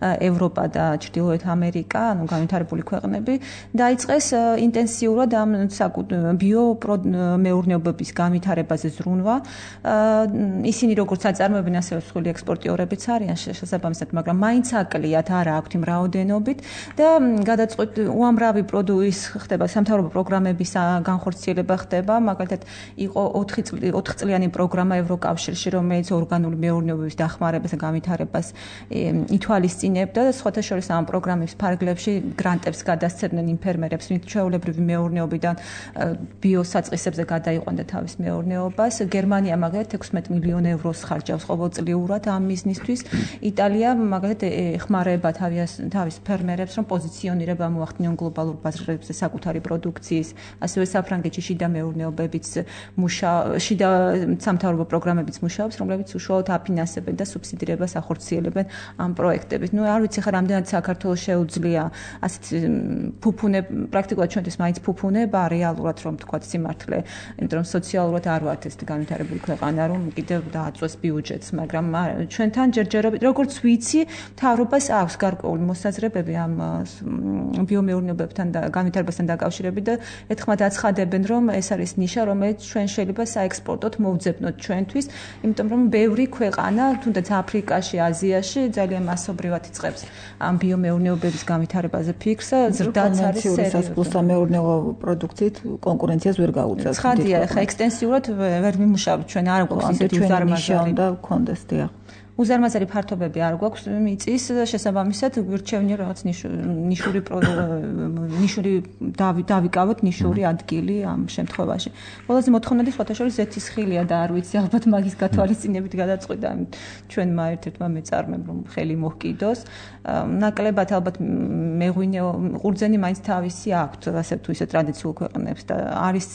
ევროპა და ჩრდილოეთ ამერიკა, ანუ განვითარებული ქვეყნები დაიწყეს ინტენსიურად ამ ბიომეურნეობების განვითარებაზე ზრუნვა. ისინი როგორც აწარმოებენ ასევე მსხვილი ექსპორტიორებიც არიან შესაბამისად, მაგრამ მაინც აკლიათ არა აქვთ იმ რაოდენობით და გადაწყვეტ უამრავი პროდუქტის ხდება სამთავრობო პროგრამების განხორციელება ხდება, მაგალითად იყო 4 წლიანი პროგრამა ევროკავშირში, რომელიც ორგანული მეურნეობების დახმარებას და განვითარებას ითვალისწინებდა და სხვათა შორის ამ პროგრამის ფარგლებში გრანტებს გადასცემდნენ იმ ფერმერებს, ვინც ჩვეულებრივი მეურნეობიდან ბიოსაწყისებზე გადაიყვანდა თავის მეურნეობას. გერმანია მაგალითად 16 მილიონ ევროს ხარჯავს ყოველწლიურად ამ მიზნისთვის. იტალია მაგალითად ეხმარება თავის ფერმერებს, რომ პოზიციონირება მოახდინონ გლობალურ ბაზრებზე საკუთარი პროდუქციის, ასევე საფრანგეთში შიდა მეურნეობებიც შიდა სამთავრობო პროგრამებიც მუშაობს, რომლებიც უშუალოდ აფინანსებენ და სუბსიდირებას ახორციელებენ ამ პროექტებით. ნუ არ ვიცი ხა რამდენად საქართველოს შეუძლია ასეთ ფუფუნე, პრაქტიკულად ჩვენთვის მაინც ფუფუნება რეალურად რომ თქვა სიმართლე, იმიტომ რომ სოციალურად არ ვართ ეს განვითარებული ქვეყანა, რომ კიდევ დააწვეს ბიუჯეტს, მაგრამ ჩვენთან ჯერჯერობით როგორც ვიცი, მთავრობას აქვს გარკვეული მოსაზრებები ამ ბიომეურნეობებთან და განვითარებასთან დაკავშირებით და ერთხმად აცხადებენ, რომ ეს არის ნიშა, რომელიც ჩვენ შეიძლება საექსპორტოდ მოვძებნოთ ჩვენთვის, იმიტომ რომ ბევრი ქვეყანა, თუნდაც აფრიკაში, აზიაში ძალიან მასობრივად იწყებს ამ ბიომეურნეობების განვითარებაზე ფიქრს, ზრდაც არის სერიოზული. სამეურნეო პროდუქციით კონკურენციას ვერ გაუწევს. ცხადია, ხა ექსტენსიურად ვერ ვიმუშავებთ ჩვენ არ გვაქვს ისეთი უზარმაზარი და კონდეს დიახ. უზარმაზარი ფართობები არ გვაქვს მიწის შესაბამისად გვირჩევნია რაღაც ნიშური დავიკავოთ ნიშური ადგილი ამ შემთხვევაში. ყველაზე მოთხოვნადი სხვათა შორის ზეთისხილია და არ ვიცი ალბათ მაგის გათვალისწინებით გადაწყვიტა ჩვენმა ერთ-ერთმა მეწარმემ რომ ხელი მოჰკიდოს. ნაკლებად ალბათ მეღვინეო ყურძენი მაინც თავისი აქვთ ასე თუ ისე ტრადიციულ ქვეყნებს და არის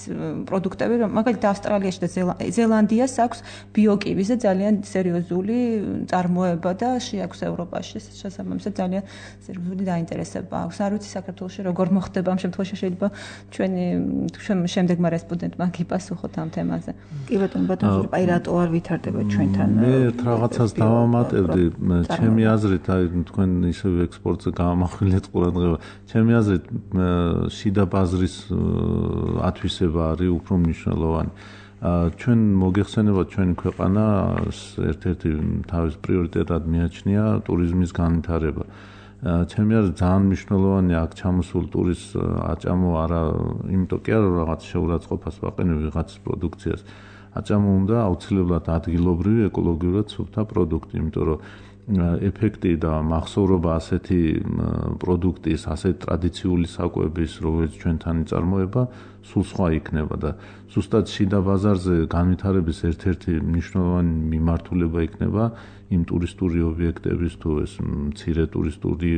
პროდუქტები რომ მაგალითად ავსტრალიაში და ზელანდიას აქვს ბიოკივის და ძალიან სერიოზული წარმოება და შეაქვს ევროპაში შესაბამისად ძალიან სერიოზული დაინტერესება აქვს. არ ვიცი საქართველოში როგორ მოხდება ამ შემთხვევაში შეიძლება ჩვენი შემდეგმა რესპონდენტმა გიპასუხოთ ამ თემაზე. კი ბატონო, აი რატო არ ვითარდება ჩვენთან? მე რაღაცას დავამატებდი, ჩემი აზრით, აი თქვენ ისევ ექსპორტზე გამახვილეთ ყურადღება. ჩემი აზრით შიდა ბაზრის ათვისება არის უფრო მნიშვნელოვანი. ჩვენ მოგეხსენება ჩვენი ქვეყანა ერთ-ერთი თავის პრიორიტეტად მიაჩნია ტურიზმის განვითარება. ჩემი აზრით ძალიან მნიშვნელოვანია აქ ჩამოსულ ტურისტს აჭამო არა, იმიტომ კი არა რაღაც შეურაცხყოფას ვაყენებ ვიღაც პროდუქციას. აჭამო უნდა აუცილებლად ადგილობრივი ეკოლოგიურად სუფთა პროდუქტი, იმიტომ რომ ეფექტი და მახსოვრობა ასეთი პროდუქტის, ასეთ ტრადიციული საკვების, როგორც ჩვენთან იწარმოება, სულ სხვა იქნება და ზუსტად შიდა ბაზარზე განვითარების ერთ-ერთი მნიშვნელოვანი მიმართულება იქნება იმ ტურისტული ობიექტების თუ ეს მცირე ტურისტული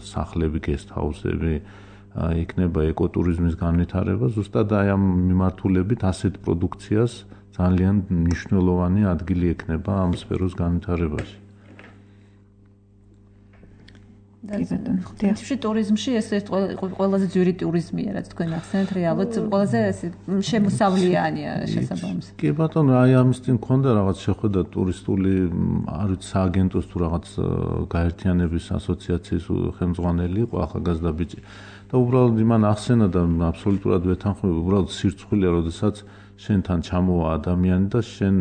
სახლები, გესტჰაუსები, იქნება ეკოტურიზმის განვითარება, ზუსტად აი ამ მიმართულებით ასეთ პროდუქციას ძალიან მნიშვნელოვანი ადგილი ექნება ამ სფეროს განვითარებაში. თუმცა ტურიზმში ეს ყველაზე ძვირი ტურიზმია, რაც თქვენ ახსენეთ, რეალურად ყველაზე შემოსავლიანია შესაბამისად. კი ბატონო, აი ამის წინ მქონდა რაღაც შეხვედრა ტურისტული, არ ვიცი, სააგენტოს თუ რაღაც გაერთიანების ასოციაციის ხელმძღვანელი იყო ახალგაზრდა ბიჭი და უბრალოდ იმან ახსენა და აბსოლუტურად ვეთანხმები, უბრალოდ სირცხვილია, როდესაც შენთან ჩამოვა ადამიანი და შენ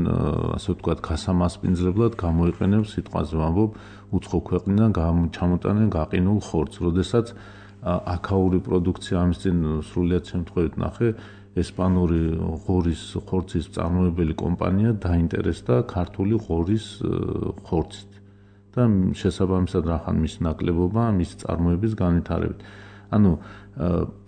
ასე ვთქვათ, გასამასპინძლებლად გამოიყენებს სიტყვაზე ვამბობ, უცხო ქვეყნიდან ჩამოტანენ გაყინულ ხორცს, როდესაც აქაური პროდუქცია ამის წინ სრულიად შემთხვევით ნახე, ესპანური ღორის ხორცის მწარმოებელი კომპანია დაინტერესდა ქართული ღორის ხორცით და შესაბამისად რახან მის ნაკლებობა მის წარმოების განვითარებით. ანუ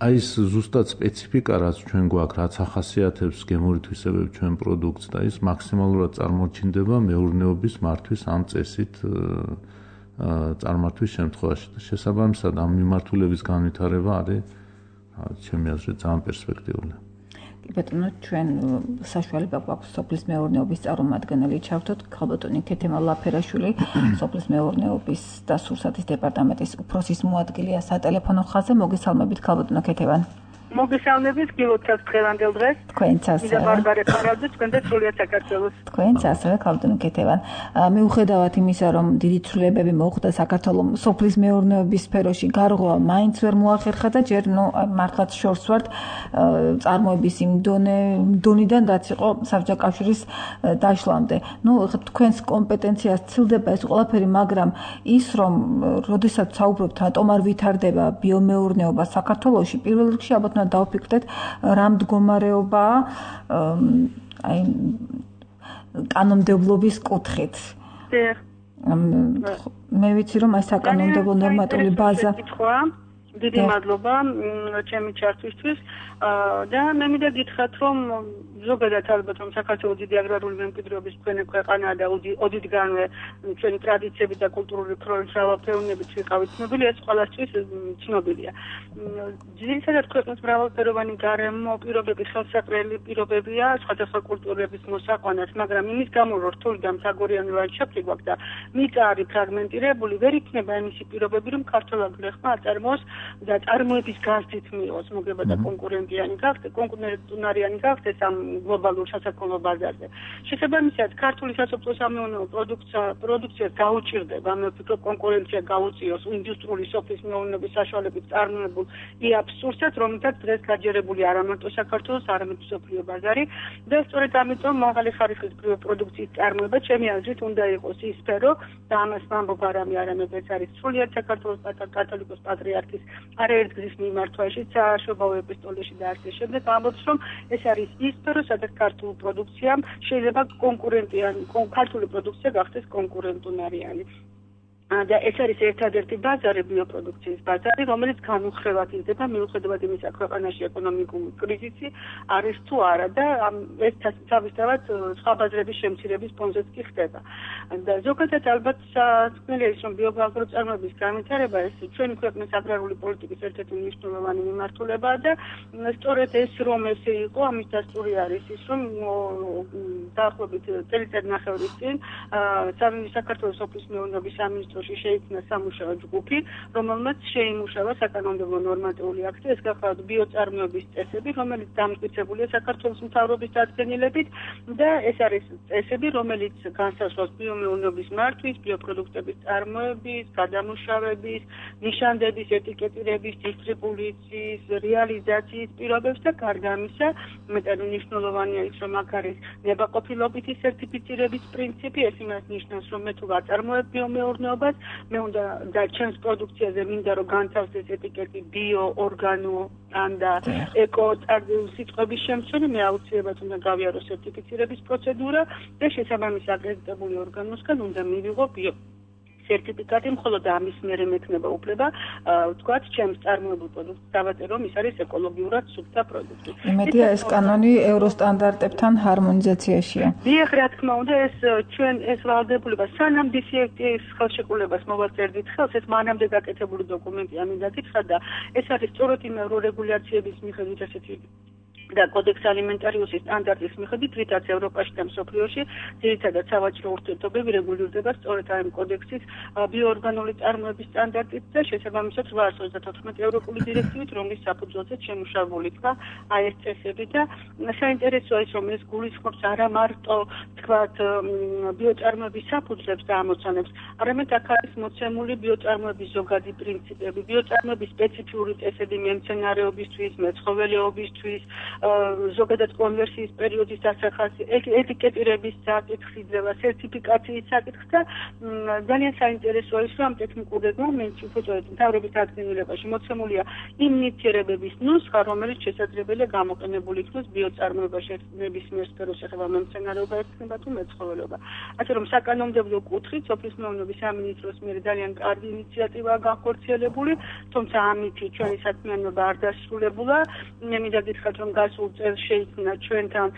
აი ეს ზუსტად სპეციფიკა რაც ჩვენ გვაქვს, რაც ახასიათებს გემორითვისებებს ჩვენ პროდუქტს და ის მაქსიმალურად წარმოჩინდება მეურნეობის მართვის ამ წესით წარმართვის შემთხვევაში. შესაბამისად ამ მიმართულების განვითარება არის ჩემი აზრით ძალიან პერსპექტიული. ბატონო, ჩვენ საშუალება გვაქვს სოფლის მეურნეობის წარმომადგენელი ჩავთოთ, ხალბატონი ქეთემა ლაფერაშვილი, სოფლის მეურნეობის და სურსათის დეპარტამენტის უფროსის მოადგილეა სატელეფონო ხაზზე. მოგესალმებით, ხალბატონო ქეთევან. მოგესალმებით, გილოცავთ დღევანდელ დღეს. თქვენც ასევე. მიდა ბარბარე ხარაძე, თქვენ და სრულიად საქართველოს. თქვენც ასევე, ხალბატონო ქეთევან. მიუხედავად იმისა, რომ დიდი ცვლილებები მოხდა საქართველოს სოფლის მეურნეობის სფეროში, გარღვევა მაინც ვერ მოახერხა და ჯერ მართლაც შორს ვართ წარმოების იმ დონიდან, რაც იყო საბჭოთა დაშლამდე. თქვენს კომპეტენციას ცილდება ეს ყველაფერი, მაგრამ ის, რომ როდესაც საუბრობთ, რატომ არ ვითარდება ბიომეურნეობა საქართველოში, პირველ რიგში ალბათ დავფიქრდეთ რა მდგომარეობაა აი კანონმდებლობის კუთხით. მე ვიცი რომ აი საკანონმდებლო ნორმატიული ბაზა დიდი მადლობა ჩემი ჩართვისთვის და მე მინდა გითხრათ რომ ზოგადად ალბათ რომ საქართველოს დიდი აგრარული მემკვიდრეობის მქონე ქვეყანაა და ოდითგანვე ჩვენი ტრადიციები და კულტურული მრავალფეროვნებით ვიყავით ცნობილი, ეს ყველასთვის ცნობილია. ძირითადად ქვეყნის მრავალფეროვანი გარემო პირობები, ხელსაყრელი პირობებია სხვადასხვა კულტურების მოსაყვანად, მაგრამ იმის გამო რომ რთული და მთაგორიანი ლანდშაფტი გვაქვს და მიწა არის ფრაგმენტირებული, ვერ იქნება იმისი პირობები, რომ ქართულ აგრეხმა აწარმოოს და წარმოების გაზრდით მიიღოს მოგება და კონკურენტიანი გახდეს ამ გლობალურ სასაქონლო ბაზარზე. შესაბამისად, ქართული სასოფლო-სამეურნეო პროდუქციას გაუჭირდება, მე ვფიქრობ, კონკურენცია გაუწიოს ინდუსტრიული სოფლის მეურნეობის საშუალებით წარმოებულ აბსურდსაც, რომელთაც დღეს გაჯერებული არა მარტო საქართველოს, არამედ მსოფლიო ბაზარი და სწორედ ამიტომ მაღალი ხარისხის პროდუქციის წარმოება ჩემი აზრით უნდა იყოს ის სფერო და ამას ვამბობ არამედ ეს არის სრულიად საქართველოს კათოლიკოს პატრიარქის არაერთგზის მიმართვაში, სააშობაო ეპისტოლეში და ასე შემდეგ ამბობს, რომ ეს არის ის სფერო, სადაც ქართული პროდუქცია შეიძლება ქართული პროდუქცია გახდეს კონკურენტუნარიანი. და ეს არის ერთადერთი ბაზარი ბიოპროდუქციის ბაზარი, რომელიც განუხრევად იზრდება მიუხედავად იმისა, ქვეყანაში ეკონომიკური კრიზისი არის თუ არა და ეს თავისთავად სხვა ბაზრების შემცირების ფონზეც კი ხდება. და ზოგადად ალბათ საქმეა ის, რომ ბიოგაზროწარმოების განვითარება ეს ჩვენი ქვეყნის აგრარული პოლიტიკის ერთ-ერთი მნიშვნელოვანი მიმართულებაა და სწორედ ეს რომ ესე იყო, ამის დასტური არის ის, რომ დაახლოებით წელიწად ნახევრის წინ საქართველოს სოფლის მეურნეობის სამინისტროში შეიქმნა სამუშაო ჯგუფი, რომელმაც შეიმუშავა საკანონმდებლო ნორმატიული აქტი, ეს გახლავთ ბიოწარმოების წესები, რომელიც დამტკიცებულია საქართველოს მთავრობის დადგენილებით და ეს არის წესები, რომელიც განსაზღვრავს ბიომეურნეობის მართვის, ბიოპროდუქტების წარმოების, გადამუშავების, ნიშანდების, ეტიკეტირების, დისტრიბუციის, რეალიზაციის პირობებს და გარდა ამისა, მეტად მნიშვნელოვანია ის, რომ აქ არის ნებაყოფილობითი სერტიფიცირების პრინციპი, ეს იმას ნიშნავს, რომ მე თუ ვაწარმოებ ბიომეურნეობას მე უნდა და ჩემს პროდუქციაზე მინდა რომ განთავსდეს ეტიკეტი ბიო, ორგანო და ეკო სიტყვების შემცველი, მე აუცილებლად უნდა გავიარო სერტიფიცირების პროცედურა და შესაბამის აკრედიტებული ორგანოსგან უნდა მივიღო ბიო სერტიფიკატი, მხოლოდ ამის მერე მექნება უფლება ვთქვათ, ჩემს წარმოებულ პროდუქტს დავაწერო, ის არის ეკოლოგიურად სუფთა პროდუქტი. იმედია ეს კანონი ევროსტანდარტებთან ჰარმონიზაციაშია. დიახ, რა თქმა უნდა, ეს ვალდებულება სანამ DCFTA-ის ხელშეკრულებას მოვაწერდით ხელს, ეს მანამდე გაკეთებული დოკუმენტია, მინდა გითხრათ და ეს არის სწორედ იმ ევრორეგულაციების მიხედვით ესეთი და კოდექს ალიმენტარიუსის სტანდარტის მიხედვით, რითაც ევროპაში და მსოფლიოში ძირითადად სავაჭრო ურთიერთობები რეგულირდება სწორედ ამ კოდექსის ბიოორგანული წარმოების სტანდარტით და შესაბამისად 834 ევროპული დირექტივით, რომლის საფუძველზეც შემუშავებული იქნა აი ეს წესები და საინტერესოა ის, რომ ეს გულისხმობს არა მარტო თქვათ ბიოწარმოების საფუძვლებს და ამოცანებს, არამედ აქ არის მოცემული ბიოწარმოების ზოგადი პრინციპები, ბიოწარმოების სპეციფიური წესები მემცენარეობისთვის, მეცხოველეობისთვის, ზოგადად კონვერსიის პერიოდის დასახასი, ეტიკეტირების საკითხი, სერტიფიკაციის საკითხი და ძალიან საინტერესოა ის, რომ ამ ტექნიკურ რეგლამენტში უბრალოდ მთავრობის დადგენილებაში მოცემულია იმ ნივთიერებების ნუსხა, რომელიც შესაძლებელია გამოყენებული იქნას ბიოწარმოებაში ნებისმიერ სფეროს ეხება მემცენარეობა ექნება თუ მეცხოველეობა. ასე რომ საკანონმდებლო კუთხით სოფლის მეურნეობის სამინისტროს მიერ ძალიან კარგი ინიციატივაა განხორციელებული, თუმცა ამით ჩვენი საქმიანობა არ დასრულებულა. მე მინდა გითხრათ, რომ გასულ წელს შეიქმნა ჩვენთან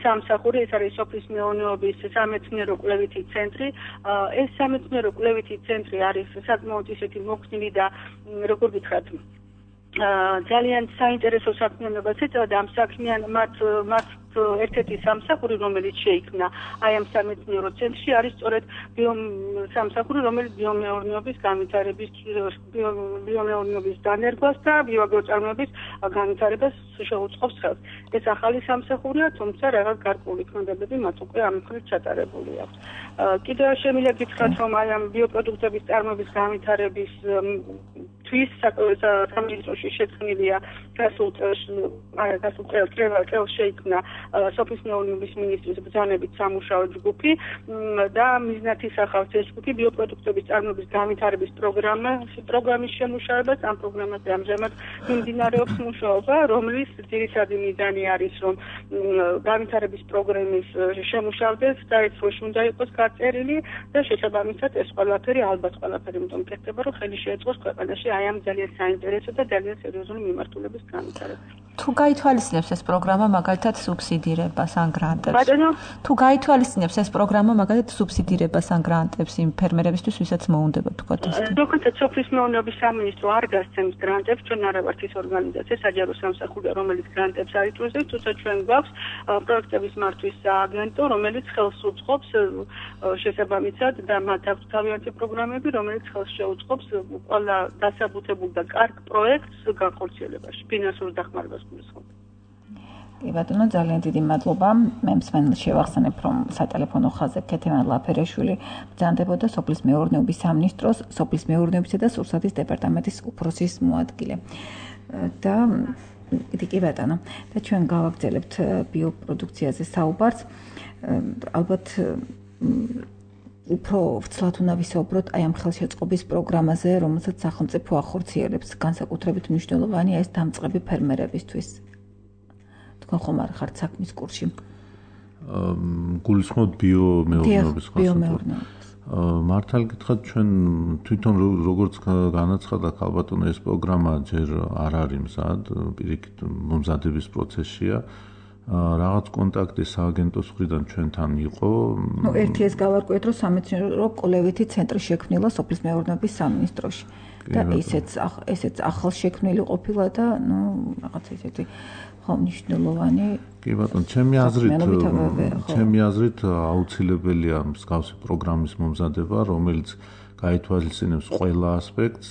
სამსახური, ეს არის სოფლის მეურნეობის სამეცნიერო კვლევითი ცენტრი. ეს სამეცნიერო კვლევითი ცენტრი არის საკმაოდ ისეთი მოქნილი და როგორ გითხრათ, ძალიან საინტერესო საქმიანობას ეწევა ამ საქმიან მათ ერთ-ერთი სამსახური, რომელიც შეიქმნა აი ამ სამეცნიერო ცენტრში, არის სწორედ სამსახური, რომელიც ბიომეურნეობის განვითარების, ბიომეურნეობის დანერგვას და ბიოაგროწარმოების განვითარებას შეუწყობს ხელს. ეს ახალი სამსახურია, თუმცა რაღაც გარკვეული ქმედებები მათ უკვე ამ მხრივ ჩატარებული აქვს. კიდევ შემიძლია გითხრათ, რომ აი ამ ბიოპროდუქტების წარმოების განვითარების სამინისტროში შექმნილია გასულ წელს შეიქმნა სოფლის მეურნეობის მინისტრის ბრძანებით სამუშაო ჯგუფი და მიზნად ისახავს ეს ჯგუფი ბიოპროდუქტების წარმოების განვითარების პროგრამის შემუშავებას. ამ პროგრამაზე ამჟამად მიმდინარეობს მუშაობა, რომლის ძირითადი მიზანი არის, რომ განვითარების პროგრამის შემუშავდეს და ეს როში უნდა იყოს გაწერილი და შესაბამისად ეს ყველაფერი ალბათ ყველაფერი იმიტომ კეთდება, რომ ხელი შეეწყოს ქვეყანაში აი ამ ძალიან საინტერესო და ძალიან სერიოზული მიმართულების განვითარებას. თუ გაითვალისწინებს ეს პროგრამა მაგალითად სუბსიდირებას ან გრანტებს. ბატონო, თუ გაითვალისწინებს ეს პროგრამა მაგალითად სუბსიდირებას ან გრანტებს იმ ფერმერებისთვის, ვისაც მოუნდება თქვათ ეს. ზოგადად სოფლის მეურნეობის სამინისტრო არ გასცემს გრანტებს, ჩვენ არ ვართ ის ორგანიზაცია, საჯარო სამსახურია, რომელიც გრანტებს არ იწვევს, თუმცა ჩვენ გვაქვს პროექტების მართვის სააგენტო, რომელიც ხელს უწყობს შესაბამისად და მათ აქვს თავიანთი პროგრამები, რომელიც ხელს შეუწყობს ყველა დასაბუთებულ და კარგ პროექტს განხორციელებაში, ფინანსურ დახმარებას გულისხმობს. კი ბატონო, ძალიან დიდი მადლობა. მე მსმენელს შევახსენებ, რომ სატელეფონო ხაზზე ქეთევან ლაფერეშვილი ბრძანდებოდა სოფლის მეურნეობის სამინისტროს, სოფლის მეურნეობისა და სურსათის დეპარტამენტის უფროსის მოადგილე. და კი ბატონო, და ჩვენ გავაგრძელებთ ბიოპროდუქციაზე საუბარს. ალბათ უფრო ვცლად უნდა ვისაუბროთ აი ამ ხელშეწყობის პროგრამაზე, რომელსაც სახელმწიფო ახორციელებს, განსაკუთრებით მნიშვნელოვანია ეს დამწყები ფერმერებისთვის. თქვენ ხომ არ ხართ საქმის კურსში? გულისხმობთ ბიომეურნეობის ბიომეურნეობის. მართალ გითხრათ, ჩვენ თვითონ როგორც განაცხადა ქალბატონო, ეს პროგრამა ჯერ არ არის მზად, პირიქით მომზადების პროცესშია. რაღაც კონტაქტი სააგენტოს მხრიდან ჩვენთან იყო. ერთი ეს გავარკვიეთ, რომ სამეცნიერო კვლევითი ცენტრი შექმნილა სოფლის მეურნეობის სამინისტროში. და ესეც ახალ შექმნილი ყოფილა და რაღაც ისეთი მნიშვნელოვანი. კი ბატონო, ჩემი აზრით აუცილებელია მსგავსი პროგრამის მომზადება, რომელიც გაითვალისწინებს ყველა ასპექტს.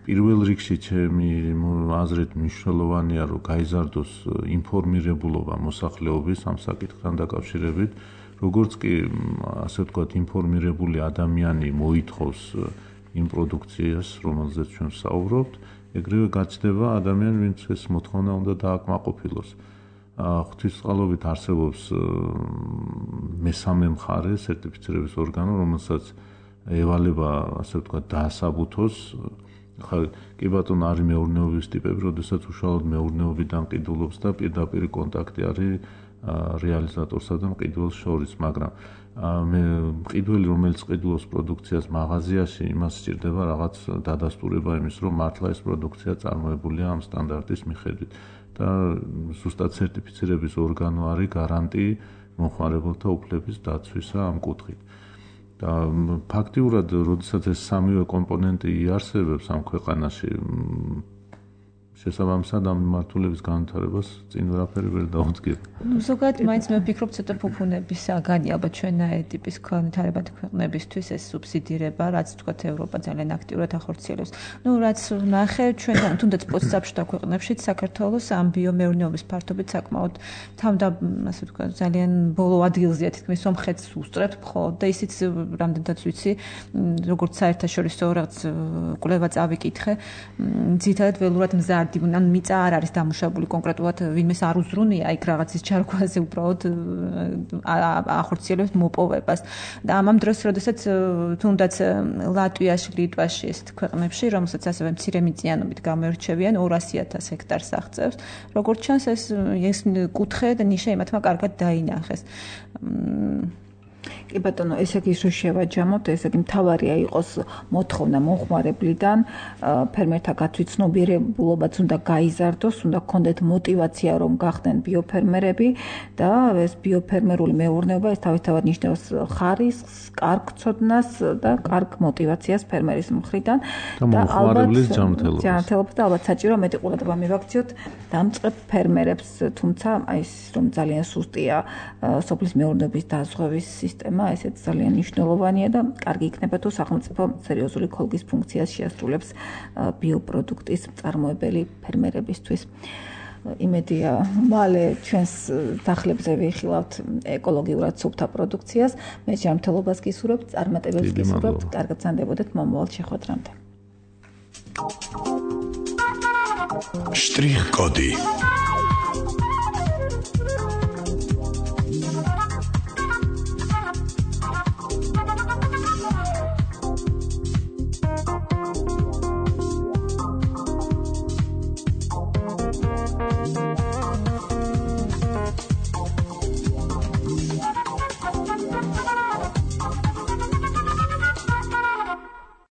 პირველ რიგში ჩემი აზრით მნიშვნელოვანია, რომ გაიზარდოს ინფორმირებულობა მოსახლეობის ამ საკითხთან დაკავშირებით, როგორც კი ასე ვთქვათ, ინფორმირებული ადამიანი მოითხოვს იმ პროდუქციას, რომელზეც ჩვენ ვსაუბრობთ, ეგრევე გაჩნდება ადამიანი, ვინც ეს მოთხოვნა უნდა დააკმაყოფილოს. ღვთისწყალობით არსებობს მესამე მხარე, სერტიფიცირების ორგანო, რომელსაც ევალება, ასე ვთქვათ, დაასაბუთოს. კი ბატონო, არის მეურნეობის ტიპები, როდესაც უშუალოდ მეურნეობიდან ყიდულობს და პირდაპირ კონტაქტი არის რეალიზატორსა და მყიდველს შორის, მაგრამ მე მყიდველი, რომელიც ყიდულობს პროდუქციას მაღაზიაში, იმას სჭირდება რაღაც დადასტურება იმის, რომ მართლა ეს პროდუქცია წარმოებულია ამ სტანდარტის მიხედვით და ზუსტად სერტიფიცირების ორგანო არის გარანტი მომხმარებელთა უფლების დაცვისა ამ კუთხით. და ფაქტიურად, როდესაც ეს სამივე კომპონენტი იარსებებს ამ ქვეყანაში, შესაბამისად ამ მიმართულების განვითარებას წინ ვერაფერი ვერ დაუდგება. ზოგადად მაინც მე ვფიქრობ ცოტა ფუფუნების საგანი ალბათ ჩვენნაირი ტიპის განვითარებადი ქვეყნებისთვის ეს სუბსიდირება, რაც თქვათ ევროპა ძალიან აქტიურად ახორციელებს. რაც ნახე ჩვენთან თუნდაც პოსტსაბჭოთა ქვეყნებშიც საქართველოს ამ ბიომეურნეობის ფართობით საკმაოდ ასე ვთქვათ ძალიან ბოლო ადგილზეა თითქმის სომხეთს უსწრებთ მხოლოდ და ისიც რამდენადაც ვიცი როგორც საერთაშორისო რაღაც კვლევა წავიკითხე ძირითადად ველურად მზარდი ან მიწა არ არის დამუშავებული კონკრეტულად ვინმეს არ უზრუნია იქ რაღაცის ჩარკვაზე უბრალოდ ახორციელებს მოპოვებას და ამ დროს როდესაც თუნდაც ლატვიაში, ლიტვაში ეს ქვეყნებში რომელსაც ასევე მცირე მიწიანობით გამოირჩევიან 200,000 ჰექტარს აღწევს როგორც ჩანს ეს კუთხე და ნიშა იმათმა კარგად დაინახეს კი ბატონო, ესე იგი რომ შევაჯამოთ, ესე იგი მთავარია იყოს მოთხოვნა მომხმარებლიდან, ფერმერთა გაცვიცნობიერებულობაც უნდა გაიზარდოს, უნდა გქონდეთ мотиваცია რომ გახდნენ ბიოფერმერები და ეს ბიოფერმერული მეურნეობა ეს თავისთავად ნიშნავს ხარისხს, კარგ ცოდნას და კარგ мотиваციას ფერმერის მხრიდან და მომხმარებლის ჯანმრთელობას და ალბათ საჭირო მეტი ყურადღება მივაქციოთ დამწყებ ფერმერებს, თუმცა აი ეს რომ ძალიან სუსტია სოფლის მეურნეობის დაზღვევის სისტემა ესეც ძალიან მნიშვნელოვანია და კარგი იქნება თუ სახელმწიფო სერიოზული ქოლგის ფუნქციას შეასრულებს ბიოპროდუქტის მწარმოებელი ფერმერებისთვის. იმედია, მალე ჩვენს დახლებზე ვიხილავთ ეკოლოგიურად სუფთა პროდუქციას. მე ჯანმრთელობას გისურვებთ, წარმატებებს გისურვებთ, კარგად ზანდებოდეთ მომავალ შეხვედრამდე. შტრიხ კოდი